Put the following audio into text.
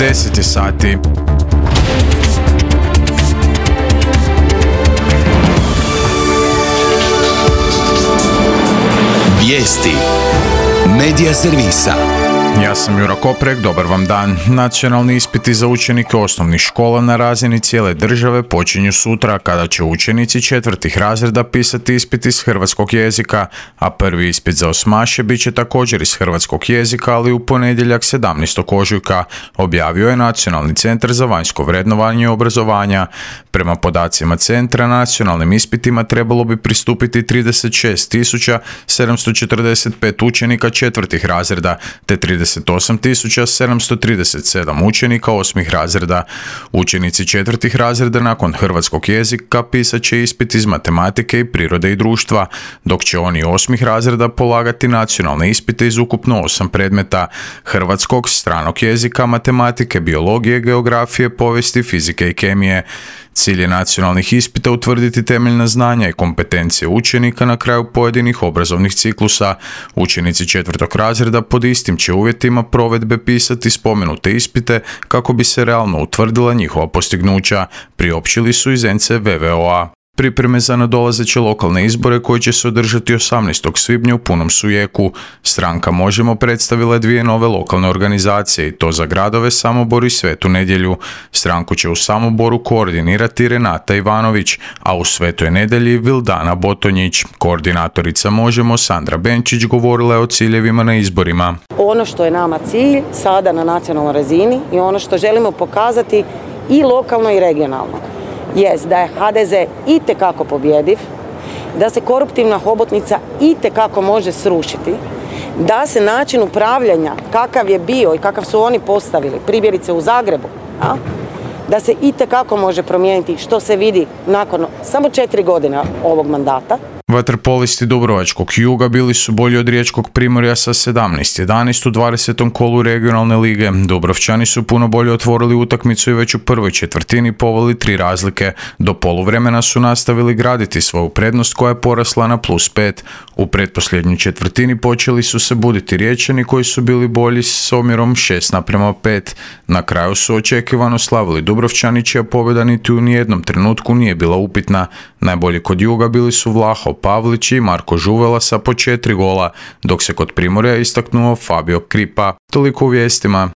10 sati. Vijesti Medija servisa. Ja sam Jura Koprek, dobar vam dan. Nacionalni ispiti za učenike osnovnih škola na razini cijele države počinju sutra, kada će učenici četvrtih razreda pisati ispit iz hrvatskog jezika, a prvi ispit za osmaše bit će također iz hrvatskog jezika, ali u ponedjeljak 17. ožujka, objavio je Nacionalni centar za vanjsko vrednovanje obrazovanja. Prema podacima centra, nacionalnim ispitima trebalo bi pristupiti 36.745 učenika četvrtih razreda, te 38.737 učenika osmih razreda. Učenici četvrtih razreda nakon hrvatskog jezika pisat će ispit iz matematike i prirode i društva, dok će oni osmih razreda polagati nacionalne ispite iz ukupno 8 predmeta: hrvatskog, stranog jezika, matematike, biologije, geografije, povijesti, fizike i kemije. Cilj je nacionalnih ispita utvrditi temeljna znanja i kompetencije učenika na kraju pojedinih obrazovnih ciklusa. Učenici četvrtog razreda pod istim će uvjetima provedbe pisati spomenute ispite kako bi se realno utvrdila njihova postignuća, priopćili su iz NCVVO-a. Pripreme za nadolazeće lokalne izbore koji će se održati 18. svibnja u punom su jeku. Stranka Možemo predstavila je 2 nove lokalne organizacije, i to za gradove Samobor i Svetu Nedjelju. Stranku će u Samoboru koordinirati Renata Ivanović, a u Svetoj Nedjelji Vildana Botonjić. Koordinatorica Možemo Sandra Benčić govorila je o ciljevima na izborima. Ono što je nama cilj sada na nacionalnoj razini i ono što želimo pokazati i lokalno i regionalno jest da je HDZ itekako pobjediv, da se koruptivna hobotnica itekako može srušiti, da se način upravljanja kakav je bio i kakav su oni postavili, primjerice u Zagrebu, da se itekako može promijeniti, što se vidi nakon samo 4 godine ovog mandata. Vaterpolisti Dubrovačkog Juga bili su bolji od Riječkog Primorja sa 17-11 u 20. kolu regionalne lige. Dubrovčani su puno bolje otvorili utakmicu i već u prvoj četvrtini poveli 3 razlike. Do poluvremena su nastavili graditi svoju prednost koja je porasla na +5. U pretposljednjoj četvrtini počeli su se buditi Riječani koji su bili bolji s omjerom 6:5. Na kraju su očekivano slavili Dubrovčani, čija pobjeda niti u nijednom trenutku nije bila upitna. Najbolji kod Juga bili su Vlaho Pavlić i Marko Žuvela sa po 4 gola, dok se kod Primorja istaknuo Fabio Kripa. Toliko u vijestima.